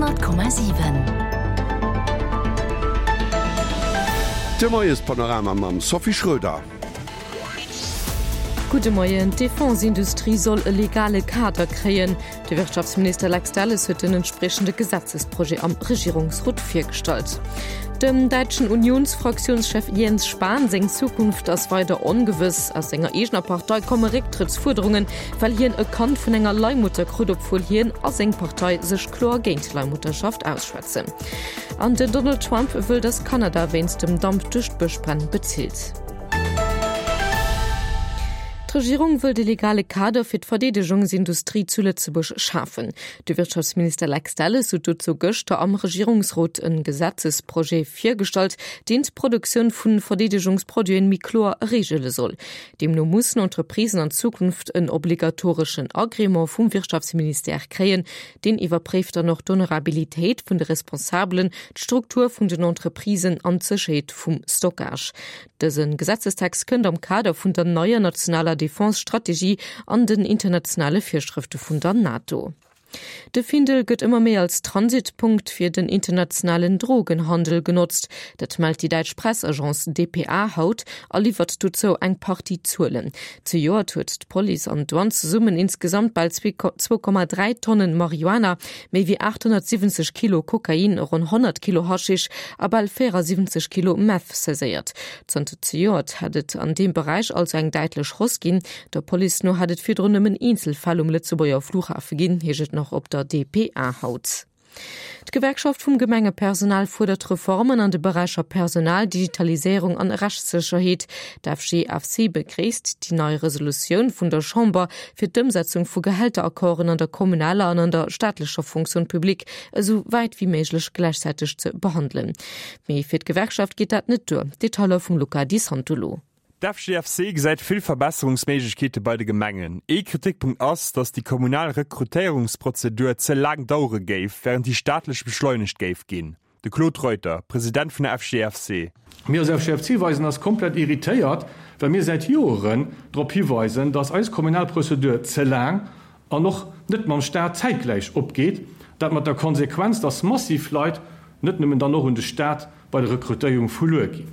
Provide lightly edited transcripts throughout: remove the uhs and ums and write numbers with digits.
100,7. De Moiespanorama mam Sophie Schröder. Gudde Moien. D'Defense-Industrie soll e legale Kader kréien. De Wirtschaftsminister Lex Delles huet den entspriechende Gesetzesprojet am Regierungsrot virgestallt. Dem däitschen Unionsfraktiounschef Jens Spahn seng Zukunft ass weider ongewëss. Aus senger eegener Partei komme Récktrëttsfuerderungen, well hien e Kand vun enger Leihmutter krut, obwuel hien a seng Partei sech kloer géint Leihmutterschaft ausschwätzen. An den Donald Trump wëll, datt Kanada wéinst dem Damp duerch d'Bëschbränn bezilt. D'Regierung wëllt e legale Kader fir d'Verdeedegungsindustrie zu Lëtzebuerg schafen. De Wirtschaftsminister Lex Delles huet dozou gëschter am Regierungsrot e Gesetzesprojet virgestallt, deen d'Produktioun vu Verdeedegungsproduiten méi kloer reegele soll. Deemno mussen Entreprisen an Zukunft en obligatoreschen Agrément vum Wirtschaftsministère kréien. Deen iwwerpréift dann och d'Honorabilitéit vun de Responsabelen, d'Struktur vun den Entreprisen an d'Sécherheet vum Stockage. Dëse Gesetzestext kënnt am Kader vun der neier nationaler Defense-Strategie an den internationale Virschrëfte vun der NATO. De Findel gëtt ëmmer méi als Transitpunkt fir den internationalen Drogenhandel genotzt. Dat mellt déi däitsch Pressagence dpa haut a liwwert dozou eng Partie Zuelen. Zejoert huet d'Police an d'Douane zesummen insgesamt bal 2,3 Tonnen Marihuana, méi wéi 870 Kilo Kokain, ronn 100 Kilo Haschisch a bal 74 Kilo Meth saiséiert. Zanter zejoert hätt et an deem Beräich also eng däitlech Hausse ginn. Der Police no hätt et virdrun nëmmen eenzel Fäll um Lëtzebuerger Flughafe ginn, heescht et nach op der dpa haut. D'Gewerkschaft vum Gemengepersonal fuerdert Reformen an de Beräicher Personal, Digitaliséierung an Rechtssécherheet. D'FGFC begréisst déi nei Resolutioun vun der Chamber, fir d'Ëmsetzung vu Gehälteraccorden an der kommunaler an an der staatlecher Fonction publique esou wäit wéi méiglech gläichzäiteg ze behandelen. Mee fir d'Gewerkschaft geet dat net duer. Detailer vum Luca Di Santolo. D'FGFC gesäit vill Verbesserungsméiglechkeete bei de Gemengen. Ee Kritikpunkt ass, datt déi kommunal Rekrutéierungsprozedur ze laang dauere géif, wärend déi staatlech beschleunegt géif ginn. De Claude Reuter, President vun der FGFC. Mir als FGFC weisen eis komplett irritéiert, well mir säit Joeren drop hiweisen, dass eis kommunal Prozedur ze laang an och net mam Staat zäitgläich opgeet, dat mat der Konsequenz, dass massiv Leit, net nëmmen dann och un de Staat, bei der Rekrutéierung verluer ginn.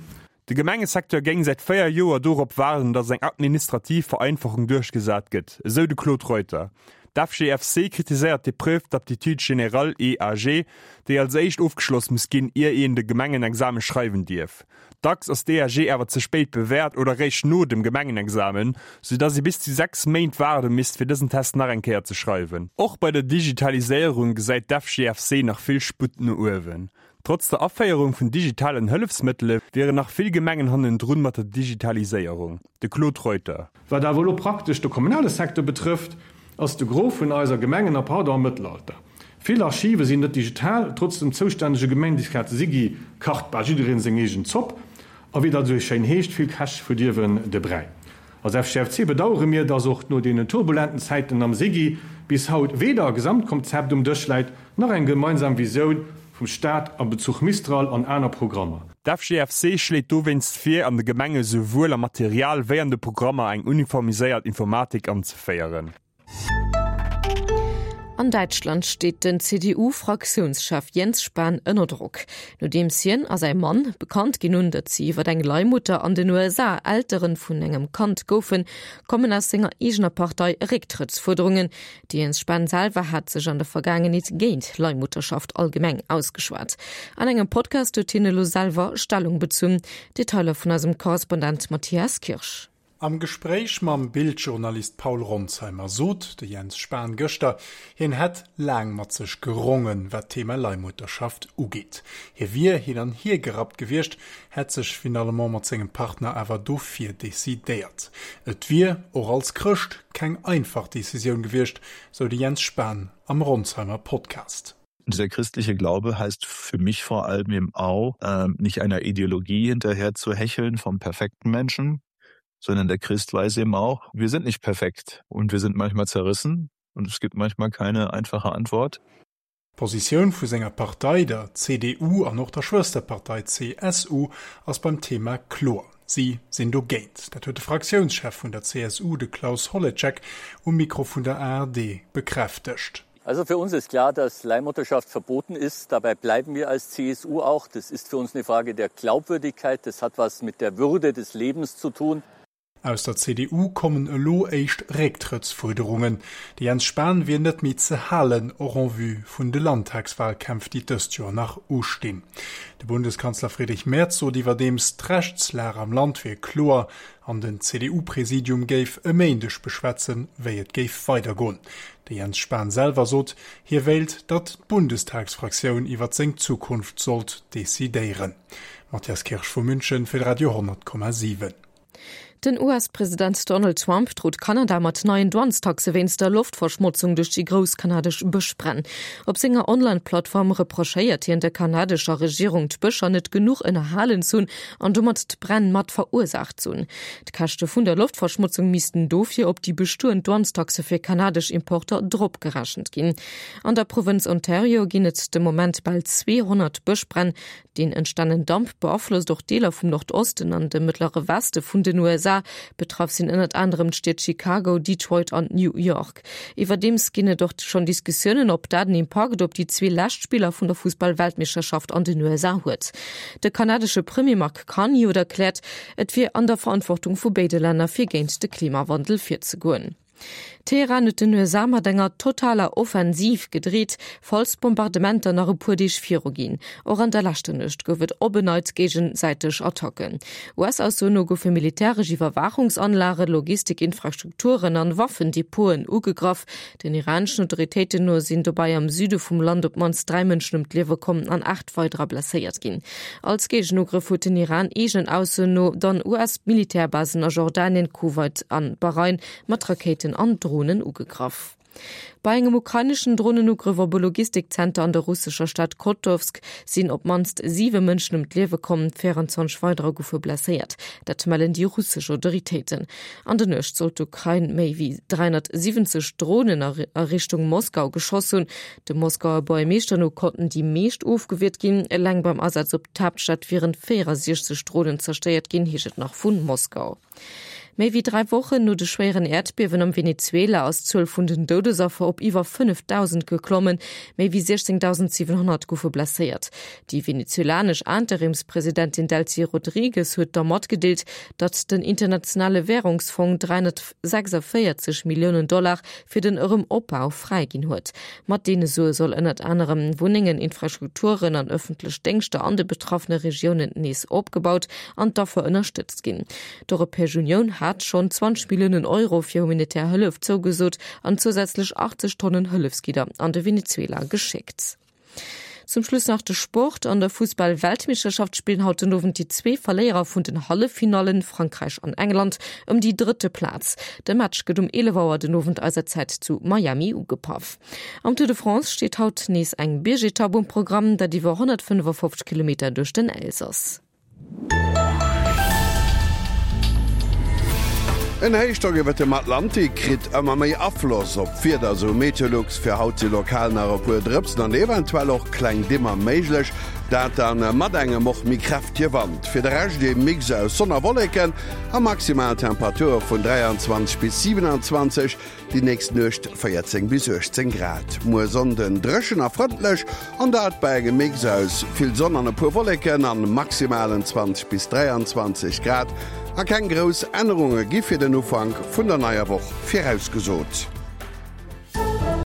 De Gemengesecteur géing säit 4 Joer dorop waarden, datt eng administrativ Vereinfachung duerchgesat gëtt, esou de Claude Reuter. D'FGFC kritiséiert d'Épreuve d'aptitude générale, EAG, déi als éischt ofgeschloss muss ginn, ier een de Gemengenexame schreiwen dierf. Dacks ass d'EAG awer ze spéit bewäert oder réischt no dem Gemengenexamen, soudatt ee bis zu 6 Méint waarde misst, fir dësen Test nach eng Kéier ze schreiwen. Och bei der Digitaliséierung gesäit d'FGFC nach vill Sputt no uewen. Trotz der Aféierung vun digitalen Hëllefsmëttele wieren nach vill Gemengen hannendrun mat der Digitaliséierung. De Claude Reuter. Wat awer elo praktesch de kommunale Secteur betrëfft, ass de Gros vun eiser Gemengen a pardon am Mëttelalter. Vill Archive sinn net digital, trotz dem zoustännege Gemendikat SIGI kacht bal jiddereen seng eegen Zopp. A wéi dat esou schéin heescht, vill Käch verdierwen de Bräi. Als FGFC bedauere mir, dass och no deenen turbulenten Zäiten am SIGI bis haut weder e Gesamtkonzept um Dësch läit, nach eng gemeinsam Visioun vum Staat a Bezuch Mistral an aner Programmer. D'FGFC schléit dowéinst vir, an de Gemenge souwuel am Material wéi an de Programmer eng uniformiséiert Informatik anzeféieren. An Däitschland steet den CDU-Fraktiounschef Jens Spahn ënner Drock. Nodeems hien a säi Mann bekannt ginn hunn, datt si iwwer eng Leihmutter an den USA Eltere vun engem Kand goufen, kommen aus senger eegener Partei Récktrëttsfuerderungen. De Jens Spahn selwer hat sech an der Vergaangenheet géint Leihmutterschaft allgemeng ausgeschwat. An engem Podcast huet hien elo selwer Stellung bezunn. Detailer vun eisem Korrespondent Matthias Kirsch. Am Gespréich mam Bild-Journalist Paul Ronzheimer sot de Jens Spahn gëschter, hien hätt laang mat sech gerongen, wat d'Thema Leihmutterschaft ugeet. Hie wier hin an hier gerappt gewiescht, hätt sech finalement mat sengem Partner awer dofir decidéiert. Et wier, och als Chrëscht, keng einfach Decisioun gewiescht, sou de Jens Spahn am Ronzheimer Podcast. Dieser christliche Glaube heißt für mich vor allem eben auch, äh, nicht einer Ideologie hinterher zu hecheln vom perfekten Menschen, sondern der Christ weiß eben auch, wir sind nicht perfekt und wir sind manchmal zerrissen und es gibt manchmal keine einfache Antwort. D'Positioun vu senger Partei, der CDU, an och der Schwësterpartei CSU ass beim Thema kloer, Si sinn dogéint. Dat huet de Fraktiounschef vun der CSU, de Klaus Holetschek, um Mikro vun der ARD bekräftegt. Also für uns ist klar, dass Leihmutterschaft verboten ist. Dabei bleiben wir als CSU auch. Das ist für uns eine Frage der Glaubwürdigkeit. Das hat was mit der Würde des Lebens zu tun. Aus der CDU kommen elo éischt Récktrëttsfuerderungen. De Jens Spahn wier net méi ze halen, och en vue vun de Landtagswahlkämpf, déi dëst Joer nach ustinn. De Bundeskanzler Friedrich Merz sot iwwerdeems, d'Rechtslag am Land wier kloer an den CDU-Präsidium géif e Méindeg beschwätzen, wéi et géif weidergoen. De Jens Spahn selwer sot, hie wéilt, datt d'Bundestagsfraktioun iwwer seng Zukunft sollt decidéieren. Matthias Kirsch vu München fir de Radio 10,7. Den US-President Donald Trump drot Kanada mat neien Douanestaxe wéinst der Loftverschmotzung duerch déi grouss kanadesch Bëschbränn. Op senger Online-Plattform reprochéiert hien der kanadescher Regierung, d'Bëscher net genuch ënnerhalen ze hunn an domat d'Bränn mat verursaacht ze hunn. D'Käschte vun der Loftverschmotzung missten dofir op déi bestoend Douanestaxe fir kanadesch Importer dropgerechent ginn. An der Provënz Ontario ginn et de Moment bal 200 Bëschbränn. Deen entstanen Damp beaflosst och Deeler vum Nordosten an dem Mëttlere Weste vun den USA. Betraff sinn ënnert anerem d'Stied Chicago, Detroit an New York. Iwwerdeems ginn et och schonn Diskussiounen, ob dat en Impakt op déi zwee lescht Spiller vun der Fussball-Weltmeeschterschaft an den USA huet. De kanadesche Premier Mark Carney huet erkläert, et wier an der Verantwortung vu béide Länner, fir géint de Klimawandel virzegoen. Teheran huet den USA mat enger totaler Offensiv gedreet, falls d'Bombardementer nach e puer Deeg viru ginn. Och an der leschter Nuecht gouf et op en Neits géigesäiteg Attacken. US-Aussoen no goufe militäresch Iwwerwaachungsanlagen, Logistikinfrastrukturen an Waffendepoten ugegraff. Den iraneschen Autoritéiten no sinn dobäi am Süde vum Land op d'mannst 3 Mënschen ëm d'Liewe komm an 8 weiderer blesséiert ginn. Als Géigenugrëff huet den Iran eegenen Aussoen no dann US-Militärbasen a Jordanien, Kuwait an Bahrain mat Rakéiten an Dronen ugegraff. Bei engem ukraineschen Dronenugrëff op e Logistikzenter an der russescher Stad Kotovsk sinn op d'mannst 7 Mënschen ëm d'Liewe komm, 24 weiderer goufe blesséiert. Dat mellen déi russesch Autoritéiten. An der Nuecht soll d'Ukrain méi wéi 370 Dronen a Richtung Moskau geschoss hunn. Dem Moskauer Buergermeeschter no konnten déi meescht ofgewiert ginn. Eleng beim Asaz op d'Haaptstad wieren 64 Dronen zerstéiert ginn, heescht et nach vu Moskau. Méi wéi 3 Wochen no de schwéieren Äerdbiewen am Venezuela ass d'Zuel vun den Doudesaffer op iwwer 5.000 geklommen. Méi wéi 16.700 goufe blesséiert. Déi venezuelanesch Interimspresidentin Delcy Rodrigues huet da matgedeelt, datt den Internationale Wärungsfong 346 Milliounen Dollar fir den Erëm-Opbau fräiginn huet. Mat deene Sue soll ënnert anerem Wunnengen, Infrastrukturen an ëffentlech Déngschter an de betraffene Regiounen nees opgebaut an d'Affer ënnerstëtzt ginn. D'Europäesch Unioun hat schonn 20 Milliounen Euro fir humanitär Hëllef zougesot an zousätzlech 80 Tonnen Hëllefsgidder an de Venezuela geschéckt. Zum Schluss nach de Sport. An der Fussball-Weltmeeschterschaft spillen haut den Owend déi zwee Verléierer vun den Halleffinallen, Frankräich an England, ëm déi drëtte Plaz. De Match gëtt um 11 Auer den Owend eiser Zäit zu Miami ugepaff. Am Tour de France steet haut nees eng Biergetapp um Programm, dat iwwer 155 Kilometer duerch den Elsass. En Héichdrock iwwert dem Atlantik kritt ëmmer méi Afloss op d'Wieder, sou Meteolux. Fir haut si lokal nach e puer Drëpsen an eventuell och kleng Dimmer méiglech, dat dann mat engem och méi kräftege Wand. Fir de Rescht ee Mix aus Sonn a Wolleken a maximal Temperature vun 23 bis 27. Déi nächst Nuecht 14 bis 18 Grad. Muer Sonnden dréchen a frëndlech, an dat bei engem Mix aus vill Sonn an e puer Wolleken an maximalen 20 bis 23 Grad. A keng grouss Ännerunge gi fir den Ufank vun der neier Woch virausgesot.